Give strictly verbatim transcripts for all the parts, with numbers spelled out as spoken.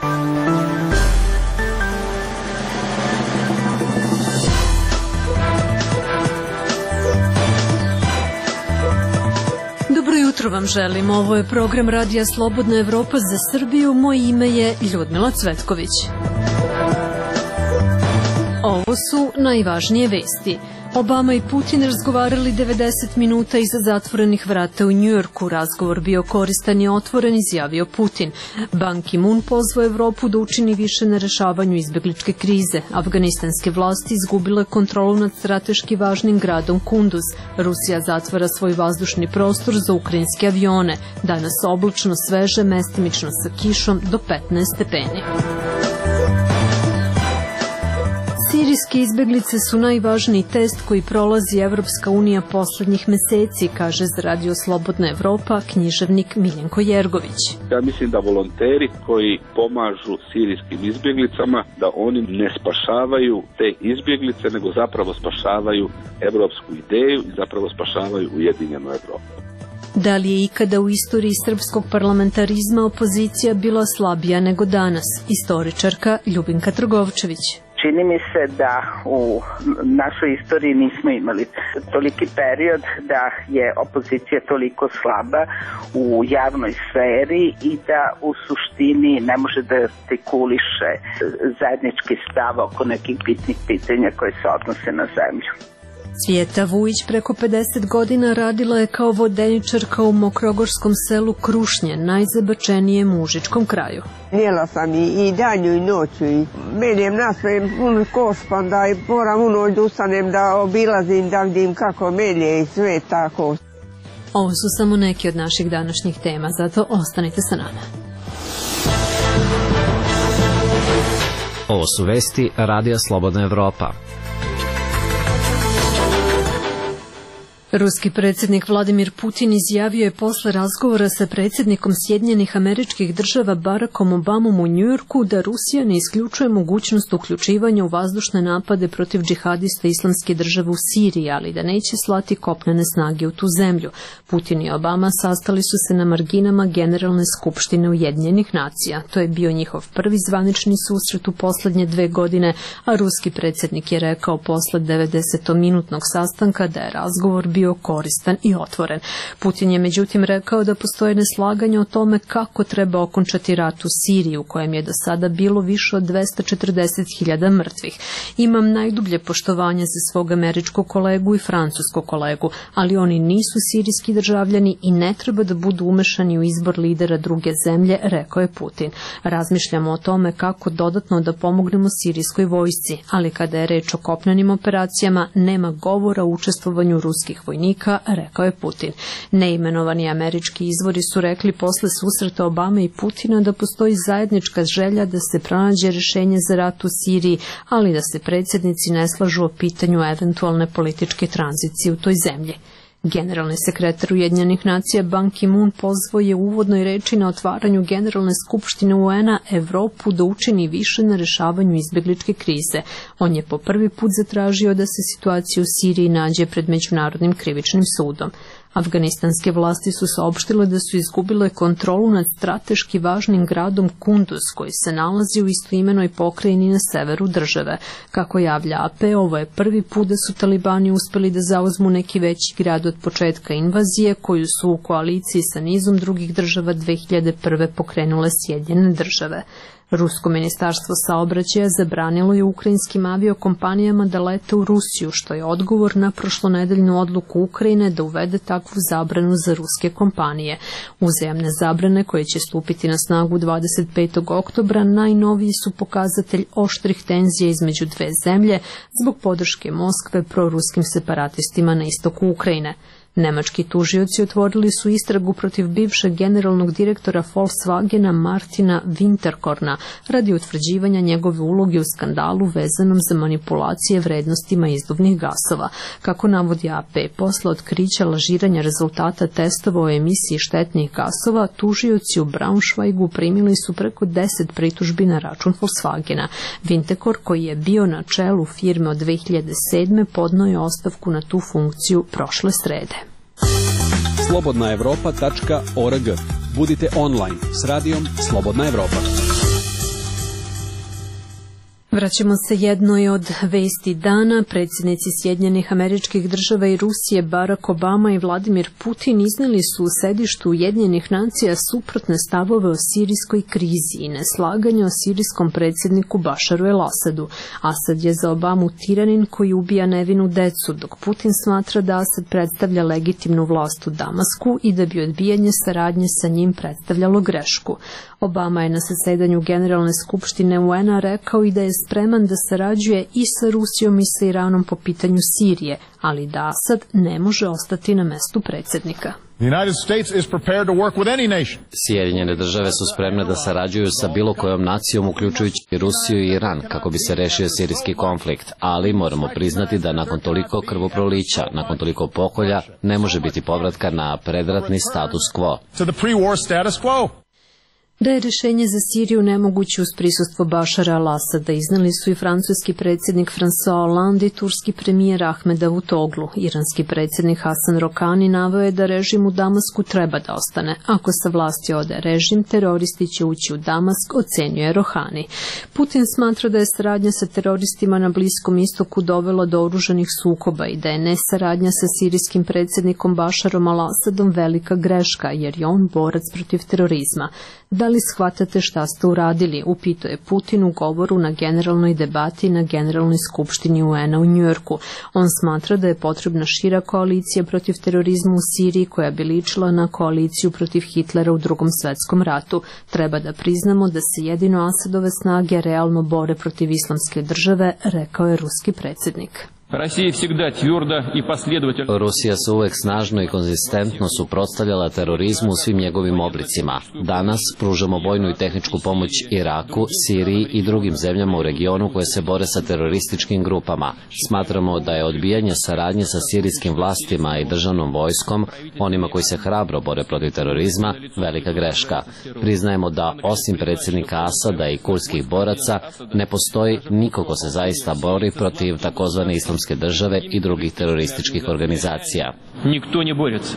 Dobro jutro vam želim. Ovo je program Radija Slobodna Evropa za Srbiju. Moje ime je Ljudmila Cvetković. Ovo su najvažnije vesti. Obama i Putin razgovarali devedeset minuta iza zatvorenih vrata u Njujorku. Razgovor bio koristan i otvoren, izjavio Putin. Ban Ki-moon pozvao Evropu da učini više na rešavanju izbegličke krize. Afganistanske vlasti izgubile kontrolu nad strateški važnim gradom Kunduz. Rusija zatvara svoj vazdušni prostor za ukrajinske avione. Danas oblačno, sveže, mestimično sa kišom do petnaest stepeni. Sirijske izbeglice su najvažniji test koji prolazi Evropska unija poslednjih meseci, kaže za Radio Slobodna Evropa književnik Miljenko Jergović. Ja mislim da volonteri koji pomažu sirijskim izbjeglicama, da oni ne spašavaju te izbjeglice, nego zapravo spašavaju evropsku ideju i zapravo spašavaju ujedinjenu Evropu. Da li je ikada u istoriji srpskog parlamentarizma opozicija bila slabija nego danas? Istoričarka Ljubinka Trgovčević. Čini mi se da u našoj istoriji nismo imali toliki period da je opozicija toliko slaba u javnoj sferi i da u suštini ne može da artikuliše zajednički stav oko nekih bitnih pitanja koje se odnose na zemlju. Cvjeta Vujić preko pedeset godina radila je kao vodeničarka u mokrogorskom selu Krušnje, najzabačenijem mužičkom kraju. Jela sam i, i danju i noću i menjem naspe pun koš, pa onda i moram u noć da ustanem da obilazim, da vidim kako melje i sve tako. Ovo su samo neki od naših današnjih tema, zato ostanite sa nama. Ovo su vesti Radija Slobodna Evropa. Ruski predsjednik Vladimir Putin izjavio je posle razgovora sa predsjednikom Sjedinjenih Američkih Država Barackom Obamom u Njujorku da Rusija ne isključuje mogućnost uključivanja u vazdušne napade protiv džihadista Islamske države u Siriji, ali da neće slati kopnene snage u tu zemlju. Putin i Obama sastali su se na marginama Generalne skupštine Ujedinjenih nacija. To je bio njihov prvi zvanični susret u poslednje dve godine, a ruski predsjednik je rekao posle devedesetominutnog sastanka da je razgovor bio bio koristan i otvoren. Putin je međutim rekao da postoje neslaganje o tome kako treba okončati rat u Siriji, u kojem je do sada bilo više od dvesta četrdeset hiljada mrtvih. Imam najdublje poštovanje za svog američkog kolegu i francuskog kolegu, ali oni nisu sirijski državljani i ne treba da budu umešani u izbor lidera druge zemlje, rekao je Putin. Razmišljamo o tome kako dodatno da pomognemo sirijskoj vojsci, ali kada je reč o kopnenim operacijama, nema govora o učestvovanju ruskih vojnika, rekao je Putin. Neimenovani američki izvori su rekli posle susreta Obame i Putina da postoji zajednička želja da se pronađe rešenje za rat u Siriji, ali da se predsjednici ne slažu o pitanju eventualne političke tranzicije u toj zemlji. Generalni sekretar Ujedinjenih nacija Ban Ki-moon pozvao je u uvodnoj reči na otvaranju Generalne skupštine U N-a Evropu da učini više na rešavanju izbegličke krize. On je po prvi put zatražio da se situacija u Siriji nađe pred Međunarodnim krivičnim sudom. Afganistanske vlasti su saopštile da su izgubile kontrolu nad strateški važnim gradom Kunduz, koji se nalazi u istoimenoj pokrajini na severu države. Kako javlja A P, ovo je prvi put da su talibani uspeli da zauzmu neki veći grad od početka invazije, koju su u koaliciji sa nizom drugih država dve hiljade prve pokrenule Sjedinjene države. Rusko ministarstvo saobraćaja zabranilo je ukrajinskim aviokompanijama da lete u Rusiju, što je odgovor na prošlonedeljnu odluku Ukrajine da uvede takvu zabranu za ruske kompanije. Uzajamne zabrane, koje će stupiti na snagu dvadeset petog oktobra, najnoviji su pokazatelj oštrih tenzija između dve zemlje zbog podrške Moskve proruskim separatistima na istoku Ukrajine. Nemački tužioci otvorili su istragu protiv bivšeg generalnog direktora Volkswagena Martina Winterkorna radi utvrđivanja njegove uloge u skandalu vezanom za manipulacije vrednostima izduvnih gasova. Kako navodi A P, posle otkrića lažiranja rezultata testova o emisiji štetnih gasova, tužioci u Braunschweigu primili su preko deset pritužbi na račun Volkswagena. Winterkorn, koji je bio na čelu firme od dve hiljade sedme, podneo je ostavku na tu funkciju prošle srede. slobodna evropa tačka org. Budite online s radijom Slobodna Evropa. Vraćamo se jednoj od vesti dana. Predsjednici Sjedinjenih Američkih Država i Rusije Barack Obama i Vladimir Putin iznijeli su u sedištu Ujedinjenih nacija suprotne stavove o sirijskoj krizi i neslaganje o sirijskom predsjedniku Bašaru el-Asadu. Asad je za Obamu tiranin koji ubija nevinu decu, dok Putin smatra da Asad predstavlja legitimnu vlast u Damasku i da bi odbijanje saradnje sa njim predstavljalo grešku. Obama je na zasedanju Generalne skupštine U N-a rekao i da je spreman da sarađuje i sa Rusijom i sa Iranom po pitanju Sirije, ali da Asad ne može ostati na mestu predsjednika. Sjedinjene države su spremne da sarađuju sa bilo kojom nacijom, uključujući Rusiju i Iran, kako bi se rešio sirijski konflikt, ali moramo priznati da nakon toliko krvoprolića, nakon toliko pokolja, ne može biti povratka na predratni status quo. Da je rješenje za Siriju nemoguće uz prisustvo Bašara al-Asada, iznali su i francuski predsjednik François Hollande i turski premijer Ahmed Davutoglu. Iranski predsjednik Hasan Rohani naveo je da režim u Damasku treba da ostane. Ako sa vlasti ode režim, teroristi će ući u Damask, ocenjuje Rohani. Putin smatra da je saradnja sa teroristima na Bliskom istoku dovela do oružanih sukoba i da je nesaradnja sa sirijskim predsjednikom Bašarom al-Asadom velika greška, jer je on borac protiv terorizma. Da li shvatate šta ste uradili, upitao je Putin u govoru na generalnoj debati na Generalnoj skupštini U N-a u Njujorku. On smatra da je potrebna šira koalicija protiv terorizma u Siriji koja bi ličila na koaliciju protiv Hitlera u Drugom svetskom ratu. Treba da priznamo da se jedino Asadove snage realno bore protiv islamske države, rekao je ruski predsjednik. Rusija se uvek snažno i konzistentno suprotstavljala terorizmu u svim njegovim oblicima. Danas pružamo vojnu i tehničku pomoć Iraku, Siriji i drugim zemljama u regionu koje se bore sa terorističkim grupama. Smatramo da je odbijanje saradnje sa sirijskim vlastima i državnom vojskom, onima koji se hrabro bore protiv terorizma, velika greška. Priznajemo da osim predsjednika Asada i kurdskih boraca ne postoji niko ko se zaista bori protiv takozvane islamske države i drugih terorističkih organizacija. Nikto ne borится.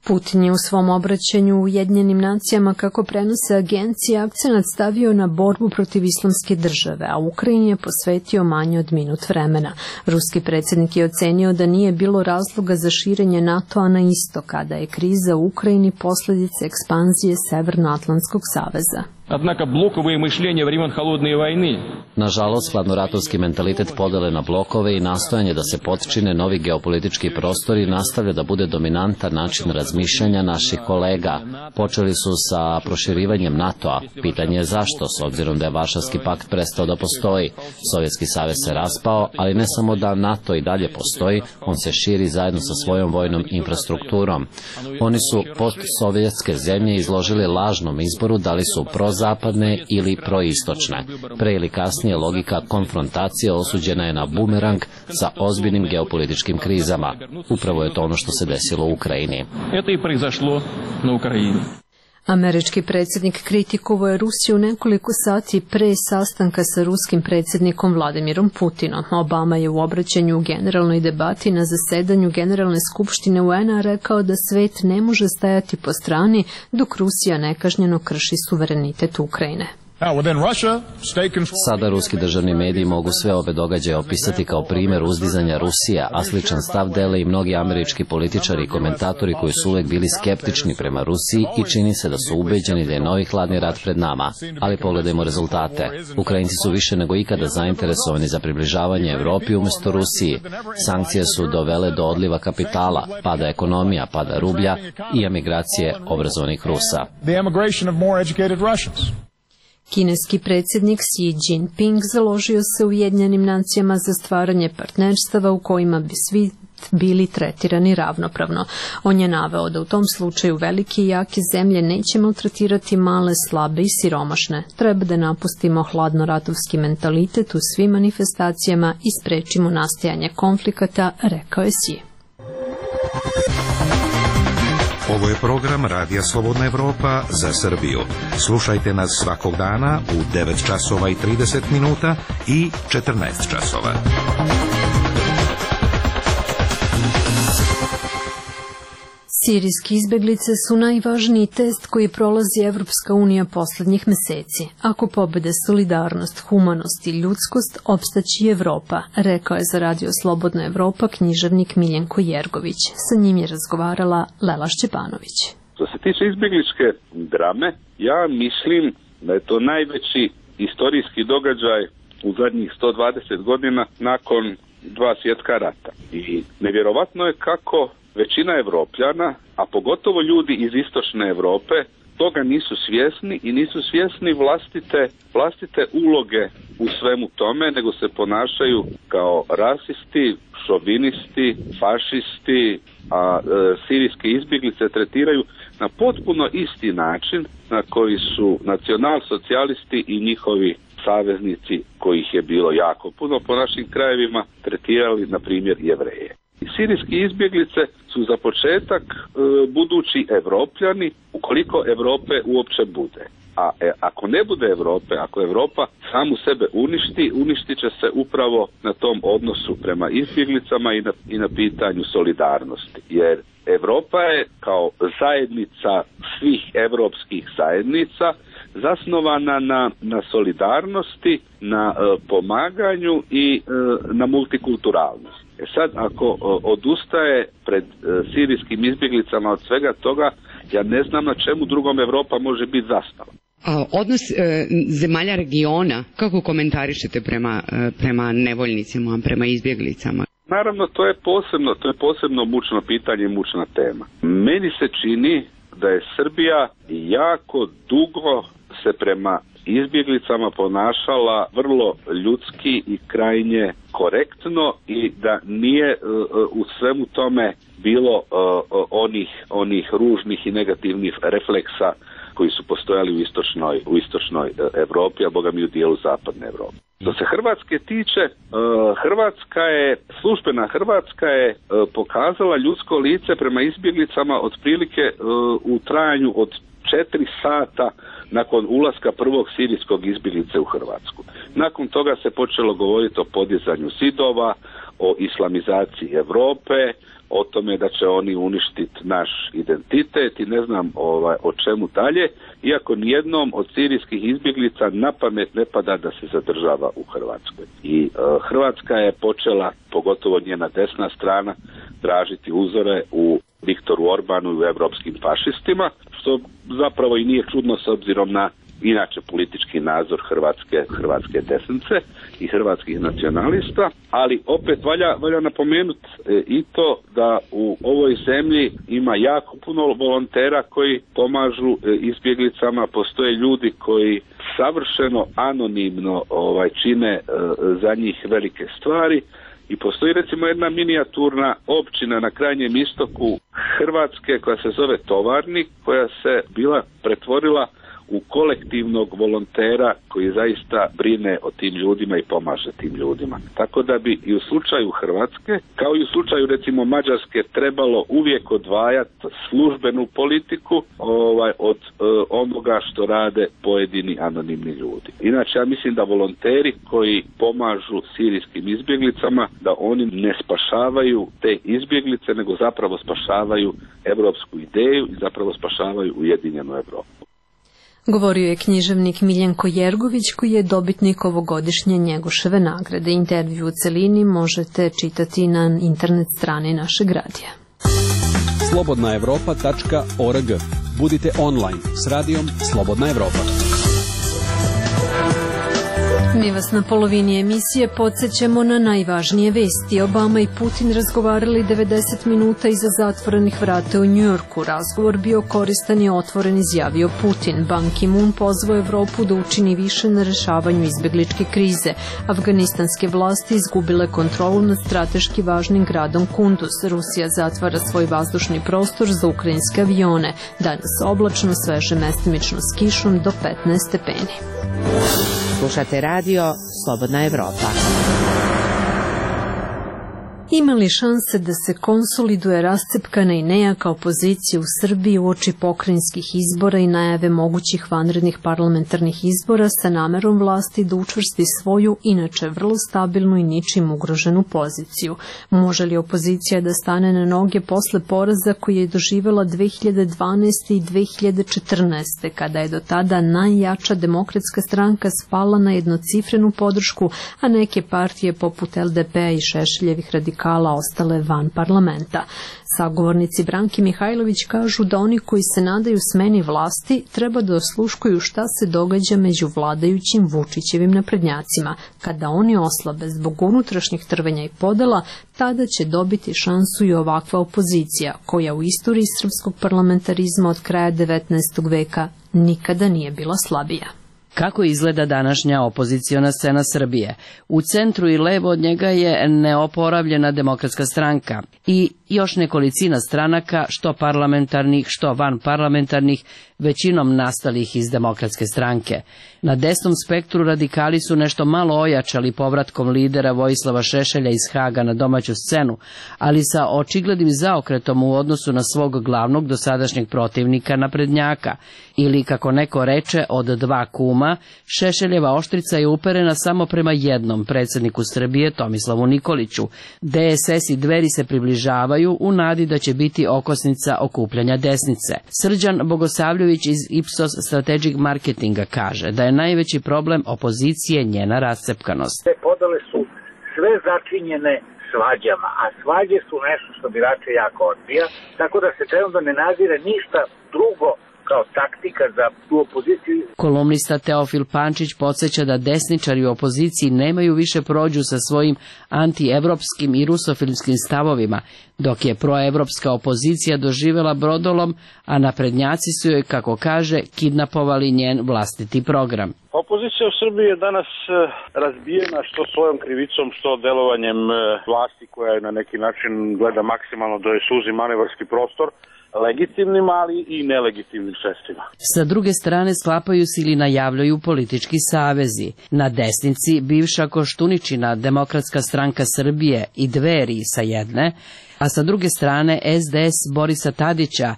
Putin je u svom obraćanju u Ujedinjenim nacijama, kako prenose agencije, akcenat stavio na borbu protiv islamske države, a Ukrajini je posvetio manje od minut vremena. Ruski predsjednik je ocenio da nije bilo razloga za širenje NATO-a na istok, a da je kriza u Ukrajini posljedica ekspanzije Severnoatlantskog saveza. Однако блоковое мышление времен холодной войны. Nažalost, hladnoratovski mentalitet podele na blokove i nastojanje da se potčine novi geopolitički prostori nastavlja da bude dominantan način razmišljanja naših kolega. Počeli su sa proširivanjem NATO-a. Pitanje je zašto, s obzirom da je Varšavski pakt prestao da postoji. Sovjetski savez se raspao, ali ne samo da NATO i dalje postoji, on se širi zajedno sa svojom vojnom infrastrukturom. Oni su postsovjetske zemlje izložili lažnom izboru da li su prozapadne ili proistočne. Pre ili kasnije logika konfrontacije osuđena je na bumerang sa ozbiljnim geopolitičkim krizama. Upravo je to ono što se desilo u Ukrajini. Это и произошло на Украине. Američki predsjednik kritikovao je Rusiju nekoliko sati pre sastanka sa ruskim predsjednikom Vladimirom Putinom. Obama je u obraćanju u generalnoj debati na zasedanju Generalne skupštine U N-a rekao da svet ne može stajati po strani dok Rusija nekažnjeno krši suverenitet Ukrajine. Sada ruski državni mediji mogu sve ove događaje opisati kao primjer uzdizanja Rusije, a sličan stav dele i mnogi američki političari i komentatori koji su uvek bili skeptični prema Rusiji i čini se da su ubeđeni da je novi hladni rat pred nama. Ali pogledajmo rezultate. Ukrajinci su više nego ikada zainteresovani za približavanje Evropi umjesto Rusiji. Sankcije su dovele do odliva kapitala, pada ekonomija, pada rublja i emigracije obrazovanih Rusa. Kineski predsjednik Xi Jinping založio se u Ujedinjenim nacijama za stvaranje partnerstava u kojima bi svi bili tretirani ravnopravno. On je naveo da u tom slučaju velike i jake zemlje neće maltretirati male, slabe i siromašne. Treba da napustimo hladnoratovski mentalitet u svim manifestacijama i sprečimo nastajanje konflikata, rekao je Xi. Ovo je program Radija Slobodna Evropa za Srbiju. Slušajte nas svakog dana u devet časova i trideset minuta i četrnaest časova. Sirijske izbeglice su najvažniji test koji prolazi Evropska unija poslednjih meseci. Ako pobede solidarnost, humanost i ljudskost, opstaći Evropa, rekao je za Radio Slobodna Evropa književnik Miljenko Jergović. Sa njim je razgovarala Lela Šćepanović. Što se tiče izbegličke drame, ja mislim da je to najveći istorijski događaj u zadnjih sto dvadeset godina nakon dva svjetska rata. I nevjerovatno je kako većina Evropljana, a pogotovo ljudi iz istočne Europe, toga nisu svjesni i nisu svjesni vlastite, vlastite uloge u svemu tome, nego se ponašaju kao rasisti, šovinisti, fašisti, a e, sirijske izbjeglice tretiraju na potpuno isti način na koji su nacionalsocijalisti i njihovi saveznici, kojih je bilo jako puno po našim krajevima, tretirali, na primjer, Jevreje. Sirijske izbjeglice su za početak e, budući Evropljani, ukoliko Evrope uopće bude. A e, ako ne bude Evrope, ako Evropa samu sebe uništi, uništit će se upravo na tom odnosu prema izbjeglicama i na, i na pitanju solidarnosti. Jer Evropa je kao zajednica svih evropskih zajednica zasnovana na, na solidarnosti, na e, pomaganju i e, na multikulturalnosti. E sad, ako e, odustaje pred e, sirijskim izbjeglicama od svega toga, ja ne znam na čemu drugom Evropa može biti zastava. A odnos e, zemalja regiona, kako komentarišete prema, e, prema nevoljnicima, prema izbjeglicama? Naravno, to je posebno, to je posebno mučno pitanje i mučna tema. Meni se čini da je Srbija jako dugo se prema izbjeglicama ponašala vrlo ljudski i krajnje korektno i da nije uh, u svemu tome bilo uh, onih, onih ružnih i negativnih refleksa koji su postojali u istočnoj, u istočnoj Evropi, a boga mi u dijelu zapadne Evrope. Što se Hrvatske tiče, Hrvatska je, službena Hrvatska je pokazala ljudsko lice prema izbjeglicama otprilike u trajanju od četiri sata nakon ulaska prvog sirijskog izbjeglice u Hrvatsku. Nakon toga se počelo govoriti o podizanju zidova, o islamizaciji Europe, o tome da će oni uništiti naš identitet i ne znam ovaj, o čemu dalje, iako nijednom od sirijskih izbjeglica na pamet ne pada da se zadržava u Hrvatskoj. I e, Hrvatska je počela, pogotovo njena desna strana, tražiti uzore u Viktoru Orbanu i u evropskim fašistima, što zapravo i nije čudno s obzirom na inače politički nadzor hrvatske, hrvatske desnice i hrvatskih nacionalista, ali opet valja, valja napomenuti e, i to da u ovoj zemlji ima jako puno volontera koji pomažu e, izbjeglicama, postoje ljudi koji savršeno anonimno ovaj, čine e, za njih velike stvari. I postoji recimo jedna minijaturna općina na krajnjem istoku Hrvatske koja se zove Tovarnik, koja se bila pretvorila u kolektivnog volontera koji zaista brine o tim ljudima i pomaže tim ljudima. Tako da bi i u slučaju Hrvatske, kao i u slučaju recimo Mađarske, trebalo uvijek odvajati službenu politiku ovaj, od e, onoga što rade pojedini anonimni ljudi. Inače, ja mislim da volonteri koji pomažu sirijskim izbjeglicama, da oni ne spašavaju te izbjeglice, nego zapravo spašavaju evropsku ideju i zapravo spašavaju ujedinjenu Evropu. Govorio je književnik Miljenko Jergović, koji je dobitnik ovogodišnje Njegoševe nagrade. Intervju u celini možete čitati na internet strani našeg radija. slobodna evropa tačka org. Budite online s radijom Slobodna Evropa. Mi vas na polovini emisije podsjećamo na najvažnije vesti. Obama i Putin razgovarali devedeset minuta iza zatvorenih vrata u Njujorku. Razgovor bio koristan i otvoren, izjavio Putin. Ban Ki-moon pozvao Evropu da učini više na rešavanju izbegličke krize. Afganistanske vlasti izgubile kontrolu nad strateški važnim gradom Kunduz. Rusija zatvara svoj vazdušni prostor za ukrajinske avione. Danas oblačno, sveže, mestimično s kišom do petnaest stepeni. Slušate radio Slobodna Evropa. Ima li šanse da se konsoliduje rascepkana i nejaka opozicija u Srbiji uoči pokrajinskih izbora i najave mogućih vanrednih parlamentarnih izbora sa namerom vlasti da učvrsti svoju, inače vrlo stabilnu i ničim ugroženu poziciju? Može li opozicija da stane na noge posle poraza koji je doživela dve hiljade dvanaeste. i dve hiljade četrnaeste. kada je do tada najjača Demokratska stranka spala na jednocifrenu podršku, a neke partije poput el de pe a i Šešeljevih radikala ostale van parlamenta? Sagovornici Branke Mihajlović kažu da oni koji se nadaju smeni vlasti treba da osluškuju šta se događa među vladajućim Vučićevim naprednjacima. Kada oni oslabe zbog unutrašnjih trvenja i podela, tada će dobiti šansu i ovakva opozicija, koja u istoriji srpskog parlamentarizma od kraja devetnaestog veka nikada nije bila slabija. Kako izgleda današnja opoziciona scena Srbije? U centru i levo od njega je neoporavljena Demokratska stranka i još nekolicina stranaka, što parlamentarnih, što vanparlamentarnih, većinom nastalih iz Demokratske stranke. Na desnom spektru radikali su nešto malo ojačali povratkom lidera Vojislava Šešelja iz Haga na domaću scenu, ali sa očiglednim zaokretom u odnosu na svog glavnog dosadašnjeg protivnika naprednjaka, ili kako neko reče, od dva kuma, Šešeljeva oštrica je uperena samo prema jednom predsjedniku Srbije, Tomislavu Nikoliću. de es es i Dveri se približavaju u nadi da će biti okosnica okupljanja desnice. Srđan Bogosavljević iz Ipsos Strategic Marketinga kaže da je najveći problem opozicije njena rascepkanost. Te podele su sve začinjene svađama, a svađe su nešto što birače jako odbija, tako da se trenutno ne nazire ništa drugo kao taktika za tu opoziciju. Kolumnista Teofil Pančić podsjeća da desničari u opoziciji nemaju više prođu sa svojim antievropskim i rusofilskim stavovima, dok je proevropska opozicija doživjela brodolom, a naprednjaci su joj, kako kaže, kidnapovali njen vlastiti program. Opozicija u Srbiji je danas razbijena što svojom krivicom, što delovanjem vlasti koja je na neki način gleda maksimalno da joj suzi manevarski prostor, legitimnim, ali i nelegitimnim sredstvima. Sa druge strane sklapaju se ili najavljaju politički savezi. Na desnici bivša Koštuničina Demokratska stranka Srbije i Dveri sa jedne, a sa druge strane es de es Borisa Tadića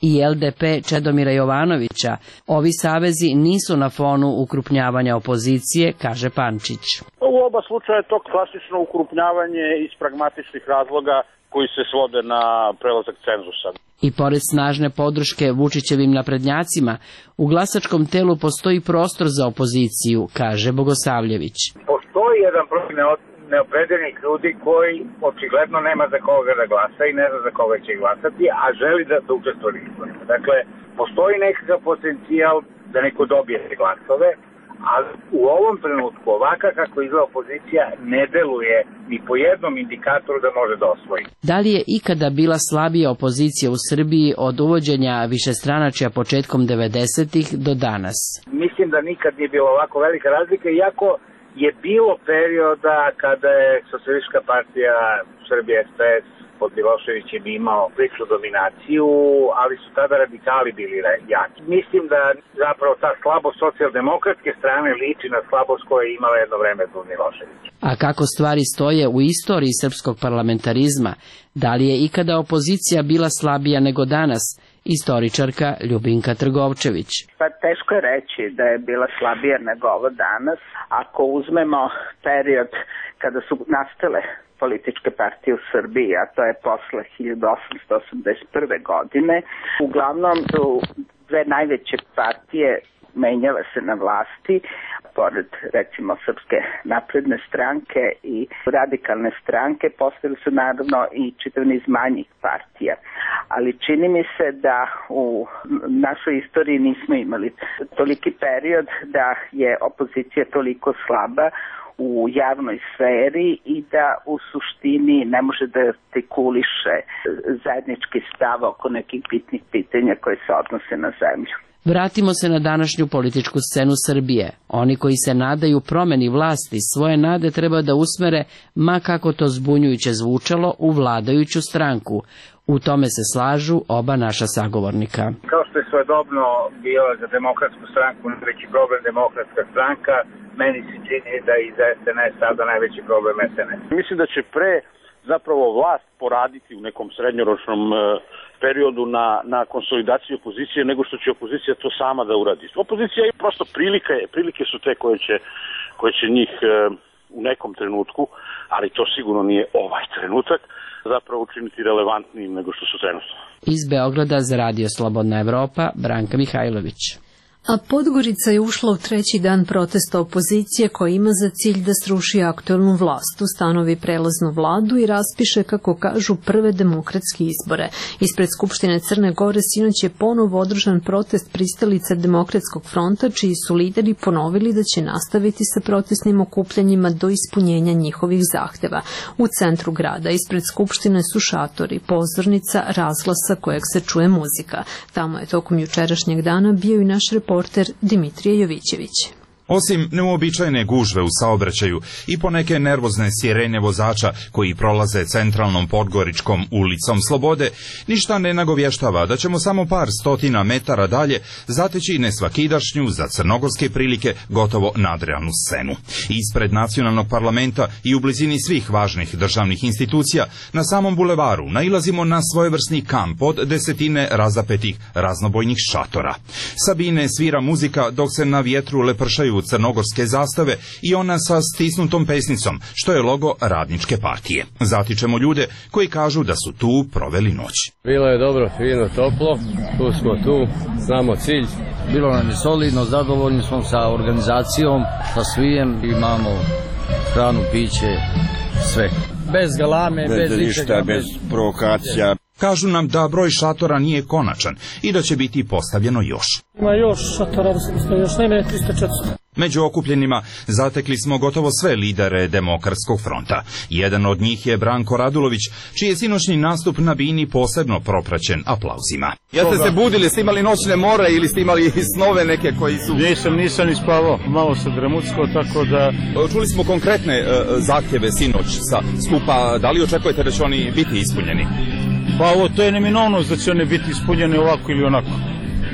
i el de pe Čedomira Jovanovića. Ovi savezi nisu na fonu ukrupnjavanja opozicije, kaže Pančić. U oba slučaja je to klasično ukrupnjavanje iz pragmatičnih razloga koji se svode na prelazak cenzusa. I pored snažne podrške Vučićevim naprednjacima, u glasačkom telu postoji prostor za opoziciju, kaže Bogosavljević. Postoji jedan broj neopredeljenih ljudi koji očigledno nema za koga da glasa i ne zna za koga će glasati, a želi da, da učestvuje u izborima. Dakle, postoji nekakav potencijal da neko dobije te glasove, ali u ovom trenutku ovaka kako izgleda opozicija ne deluje ni po jednom indikatoru da može da osvoji. Da li je ikada bila slabija opozicija u Srbiji od uvođenja višestranačja početkom devedesetih do danas? Mislim da nikad nije bilo ovako velika razlika, iako je bilo perioda kada je Socijalistička partija Srbije es pe es pod Miloševićem imao priličnu dominaciju, ali su tada radikali bili jaki. Mislim da zapravo ta slabost socijaldemokratske strane liči na slabost koja je imala jedno vreme pod Miloševićem. A kako stvari stoje u istoriji srpskog parlamentarizma? Da li je ikada opozicija bila slabija nego danas? Istoričarka Ljubinka Trgovčević. Pa teško je reći da je bila slabija nego ovo danas. Ako uzmemo period kada su nastale političke partije u Srbiji, a to je posle hiljadu osamsto osamdeset prve. godine, uglavnom su dve najveće partije menjale se na vlasti, pored recimo Srpske napredne stranke i radikalne stranke, postavili su naravno i čitav niz manjih partija. Ali čini mi se da u našoj istoriji nismo imali toliki period da je opozicija toliko slaba u javnoj sferi i da u suštini ne može da artikuliše zajednički stav oko nekih bitnih pitanja koje se odnose na zemlju. Vratimo se na današnju političku scenu Srbije. Oni koji se nadaju promeni vlasti svoje nade treba da usmere, ma kako to zbunjujuće zvučalo, u vladajuću stranku. U tome se slažu oba naša sagovornika. Kao što je svojedobno bio za Demokratsku stranku najveći problem Demokratska stranka, meni se čini da i za es en es sada najveći problem es en es. Mislim da će pre zapravo vlast poraditi u nekom srednjoročnom periodu na, na konsolidaciji opozicije nego što će opozicija to sama da uradi. Opozicija je prosto prilike, prilike su te koje će, koje će njih e, u nekom trenutku, ali to sigurno nije ovaj trenutak, zapravo učiniti relevantnijim nego što su trenutno. Iz Beograda za Radio Slobodna Evropa, Branka Mihajlović. A Podgorica je ušla u treći dan protesta opozicije koja ima za cilj da sruši aktuelnu vlast, ustanovi prelaznu vladu i raspiše, kako kažu, prve demokratske izbore. Ispred Skupštine Crne Gore sinoć je ponovo održan protest pristalica Demokratskog fronta, čiji su lideri ponovili da će nastaviti sa protestnim okupljanjima do ispunjenja njihovih zahteva. U centru grada ispred Skupštine su šatori, pozornica, razglasa kojeg se čuje muzika. Tamo je tokom jučerašnjeg dana bio i naš reporter Dimitrije Jovićević. Osim neuobičajene gužve u saobraćaju i poneke nervozne sirene vozača koji prolaze centralnom Podgoričkom ulicom Slobode, ništa ne nagovještava da ćemo samo par stotina metara dalje zateći nesvakidašnju, za crnogorske prilike, gotovo nadrealnu scenu. Ispred nacionalnog parlamenta i u blizini svih važnih državnih institucija, na samom bulevaru nailazimo na svojevrsni kamp od desetine razapetih raznobojnih šatora. Sabine svira muzika dok se na vjetru lepršaju crnogorske zastave i ona sa stisnutom pesnicom, što je logo Radničke partije. Zatičemo ljude koji kažu da su tu proveli noć. Bilo je dobro, fino, toplo, tu smo tu, znamo cilj. Bilo nam je solidno, zadovoljni smo sa organizacijom, sa svijem, imamo hranu, piće, sve. Bez galame, bez, bez ništa, bez provokacija. Kažu nam da broj šatora nije konačan i da će biti postavljeno još. Ima još šatora, još najmanje tristo četiristo. Među okupljenima zatekli smo gotovo sve lidere Demokratskog fronta. Jedan od njih je Branko Radulović, čiji je sinoćni nastup na bini posebno propraćen aplauzima. Jeste se budili, ste imali noćne more ili ste imali snove neke koji su... Nisam, nisam ni spavao, malo se dramucko, tako da... Čuli smo konkretne uh, zahtjeve sinoć sa skupa, da li očekujete da će oni biti ispunjeni? Pa ovo, to je neminovnost da će oni biti ispunjeni ovako ili onako.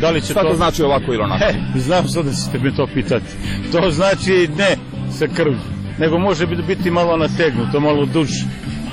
Da li će Šta to... to znači ovako ili onako? He, znam sad da ćete me to pitati. To znači ne sa krvi, nego može biti malo nategnuto, malo duže,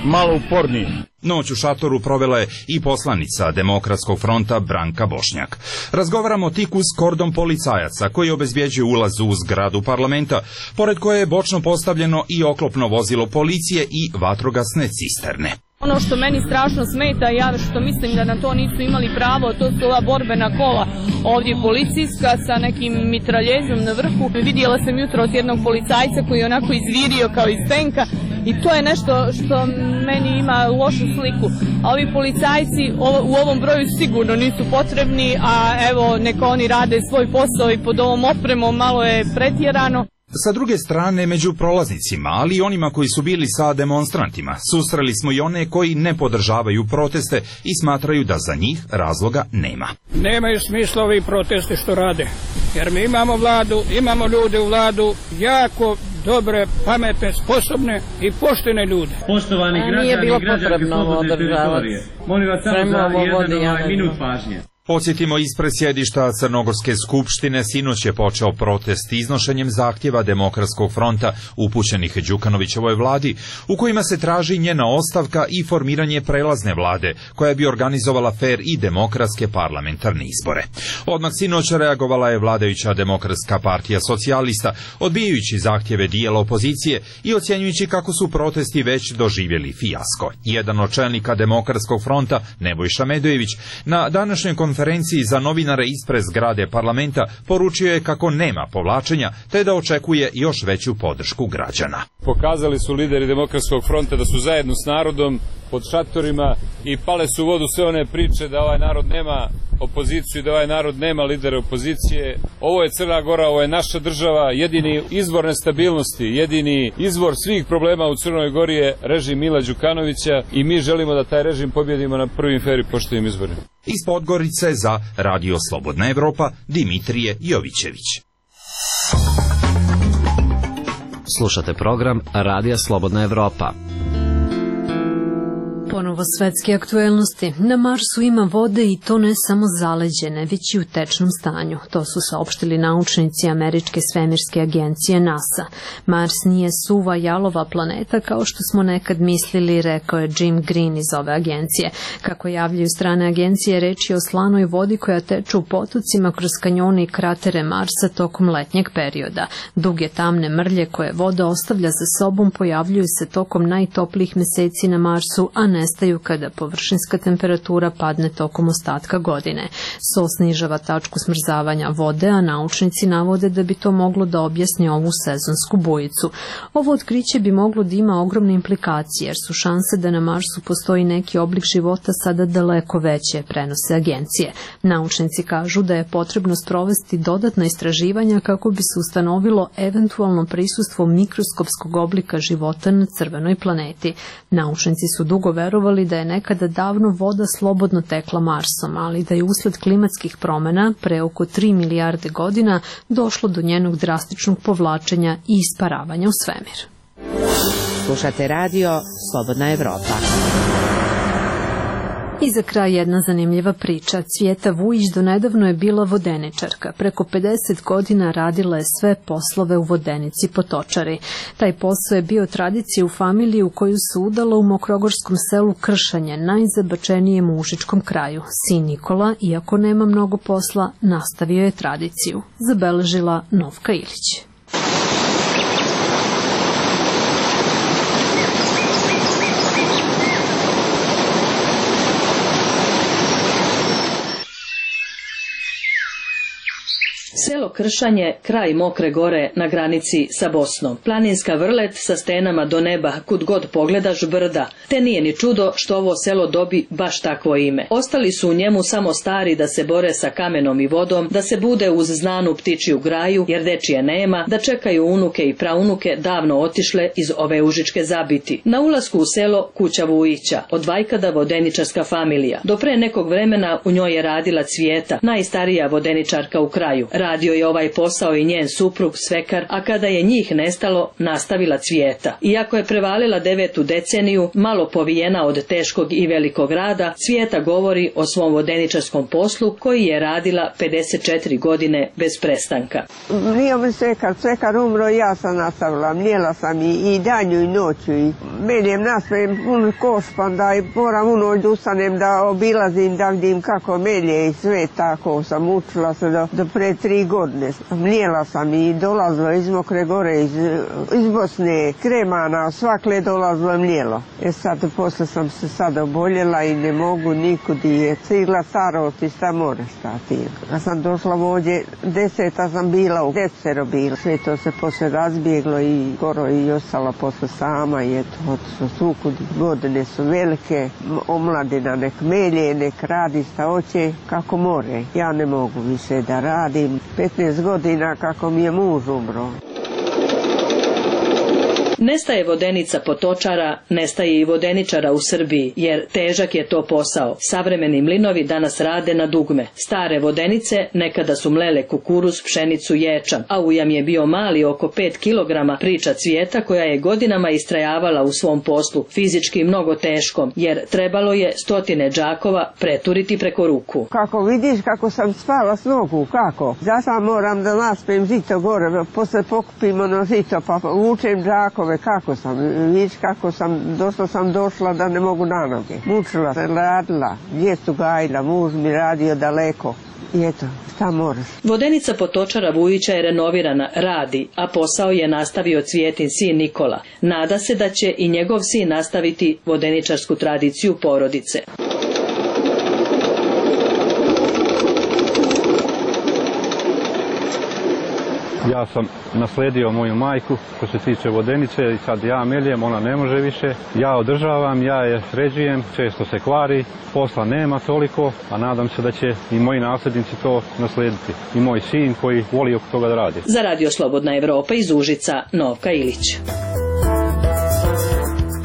malo upornije. Noć u šatoru provela je i poslanica Demokratskog fronta Branka Bošnjak. Razgovaramo tik uz kordon policajaca koji obezbjeđuje ulaz u zgradu parlamenta, pored koje je bočno postavljeno i oklopno vozilo policije i vatrogasne cisterne. Ono što meni strašno smeta, ja što mislim da na to nisu imali pravo, to su ova borbena kola ovdje policijska sa nekim mitraljezom na vrhu. Vidjela sam jutro od jednog policajca koji je onako izvirio kao iz tenka i to je nešto što meni ima lošu sliku. A ovi policajci u ovom broju sigurno nisu potrebni, a evo neka oni rade svoj posao i pod ovom opremom malo je pretjerano. Sa druge strane, među prolaznicima, ali i onima koji su bili sa demonstrantima, susreli smo i one koji ne podržavaju proteste i smatraju da za njih razloga nema. Nemaju smisla ovi proteste što rade, jer mi imamo vladu, imamo ljude u vladu, jako dobre, pametne, sposobne i poštene ljude. Poštovani građani, nije bilo potrebno potrebno teritorije. Molim vas samo za jedan ovaj minut pažnje. Podsjetimo, ispred sjedišta Crnogorske skupštine sinoć je počeo protest iznošenjem zahtjeva Demokratskog fronta upućenih Đukanovićevoj vladi, u kojima se traži njena ostavka i formiranje prelazne vlade, koja bi organizovala fer i demokratske parlamentarne izbore. Odmah sinoć reagovala je vladajuća Demokratska partija socijalista, odbijajući zahtjeve dijela opozicije i ocjenjujući kako su protesti već doživjeli fijasko. Jedan od čelnika Demokratskog fronta, Nebojša Medojević, na današnjoj konferenciji za novinare ispred zgrade parlamenta poručio je kako nema povlačenja, te da očekuje još veću podršku građana. Pokazali su lideri Demokratskog fronta da su zajedno s narodom pod šatorima i pale su u vodu sve one priče da ovaj narod nema opoziciju i da ovaj narod nema lidera opozicije. Ovo je Crna Gora, ovo je naša država, jedini izvor nestabilnosti, jedini izvor svih problema u Crnoj Gori je režim Mila Đukanovića i mi želimo da taj režim pobjedimo na prvim fer i poštenim izborima. Iz Podgorice za Radio Slobodna Evropa, Dimitrije Jovićević. Slušate program Radija Slobodna Evropa. Ponovo Ponovo svetske aktuelnosti. Na Marsu ima vode i to ne samo zaleđene, već i u tečnom stanju. To su saopštili naučnici Američke svemirske agencije NASA. Mars nije suva jalova planeta kao što smo nekad mislili, rekao je Jim Green iz ove agencije. Kako javljaju strane agencije, reč je o slanoj vodi koja teče u potocima kroz kanjone i kratere Marsa tokom letnjeg perioda. Duge tamne mrlje koje voda ostavlja za sobom pojavljuju se tokom najtoplijih meseci na Marsu, a nestaju kada površinska temperatura padne tokom ostatka godine. So snižava tačku smrzavanja vode, a naučnici navode da bi to moglo da objasni ovu sezonsku bujicu. Ovo otkriće bi moglo da ima ogromne implikacije, jer su šanse da na Marsu postoji neki oblik života sada daleko veće, prenose agencije. Naučnici kažu da je potrebno sprovesti dodatna istraživanja kako bi se ustanovilo eventualno prisustvo mikroskopskog oblika života na crvenoj planeti. Naučnici su dugo verovali da je nekada davno voda slobodno tekla Marsom, ali da je usled klimatskih promena pre oko tri milijarde godina došlo do njenog drastičnog povlačenja i isparavanja u svemir. Slušate radio Slobodna Evropa. I za kraj jedna zanimljiva priča. Cvijeta Vujić donedavno je bila vodeničarka. Preko pedeset godina radila je sve poslove u vodenici Potočari. Taj posao je bio tradicija u familiji u koju se udala u mokrogorskom selu Kršanje, najzabačenijem u Užičkom kraju. Sin Nikola, iako nema mnogo posla, nastavio je tradiciju. Zabeležila Novka Ilić. Selo Kršanje, kraj Mokre gore na granici sa Bosnom. Planinska vrlet sa stenama do neba, kud god pogledaš brda. Te nije ni čudo što ovo selo dobi baš takvo ime. Ostali su u njemu samo stari da se bore sa kamenom i vodom, da se bude uz znanu ptičiju graju, jer dečije nema, da čekaju unuke i praunuke davno otišle iz ove užičke zabiti. Na ulasku u selo kuća Vujića, od vajkada vodeničarska familija. Do pre nekog vremena u njoj je radila Cvijeta, najstarija vodeničarka u kraju. Radio je ovaj posao i njen suprug Svekar, a kada je njih nestalo, nastavila Cvijeta. Iako je prevalila devetu deceniju, malo povijena od teškog i velikog rada, Cvijeta govori o svom vodeničarskom poslu koji je radila pedeset četiri godine bez prestanka. Nije mi Svekar, Svekar umro i ja sam nastavila, mljela sam i, i danju i noću. I meljem naspravim pun koš, pa onda i moram u noć da ustanem, da obilazim, da vidim kako melje i sve tako sam učila se do, do pre tri godine. Mlijela sam i dolazila iz Mokre gore, iz, iz Bosne, Kremana, svakle dolazilo je mlijelo. E sad, posle sam se sad oboljela i ne mogu nikud je cigla starost i šta more stati. Kad sam došla ovdje, deseta sam bila, u desero bila. Sve to se posle razbjeglo i skoro i ostala posle sama i eto, otišlo svukud. Godine su velike, omladina nek melje, nek radi šta hoće, kako more. Ja ne mogu više da radim. petnaest godina kako mi je muž umro. Nestaje vodenica Potočara, nestaje i vodeničara u Srbiji, jer težak je to posao. Savremeni mlinovi danas rade na dugme. Stare vodenice nekada su mlele kukuruz, pšenicu, ječam, a ujam je bio mali oko pet kilograma, priča Cvijeta koja je godinama istrajavala u svom poslu, fizički mnogo teškom, jer trebalo je stotine džakova preturiti preko ruku. Kako vidiš kako sam spala s nogu, kako? Zato moram da naspem žito gore, posle pokupim ono žito, pa vučem džakove. Kako sam, vidiš kako sam, došla sam došla da ne mogu na noge. Mučila se, radila, djecu gajila, muž mi radio daleko. I eto, šta moraš. Vodenica Potočara Vujića je renovirana, radi, a posao je nastavio Cvijetin sin Nikola. Nada se da će i njegov sin nastaviti vodeničarsku tradiciju porodice. Ja sam nasledio moju majku što se tiče vodenice i sad ja meljem, ona ne može više. Ja održavam, ja je sređujem, često se kvari, posla nema toliko, a nadam se da će i moji nasljednici to naslediti. I moj sin koji voli oko toga da radi. Za Radio Slobodna Evropa iz Užica, Novka Ilić.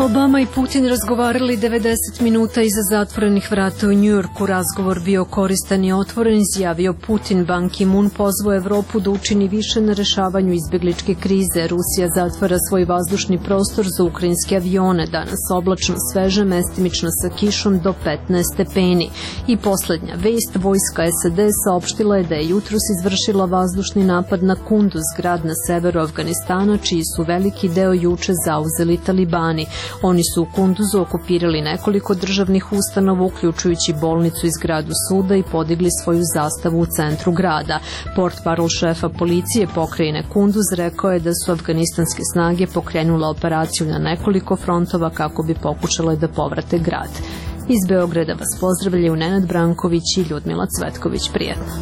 Obama i Putin razgovarali devedeset minuta iza zatvorenih vrata u Njujorku. Razgovor bio koristan i otvoren, izjavio Putin. Ban Ki-moon pozvao Evropu da učini više na rešavanju izbegličke krize. Rusija zatvara svoj vazdušni prostor za ukrajinske avione. Danas oblačno, sveže, mestimično sa kišom do petnaest stepeni. I poslednja vest, vojska S A D saopštila je da je jutros izvršila vazdušni napad na Kunduz, grad na severu Afganistana, čiji su veliki deo juče zauzeli talibani. Oni su u Kunduzu okupirali nekoliko državnih ustanova, uključujući bolnicu i zgradu suda, i podigli svoju zastavu u centru grada. Portparol šefa policije pokrajine Kunduz rekao je da su afganistanske snage pokrenule operaciju na nekoliko frontova kako bi pokušale da povrate grad. Iz Beograda vas pozdravljaju Nenad Branković i Ljudmila Cvetković. Prijetno.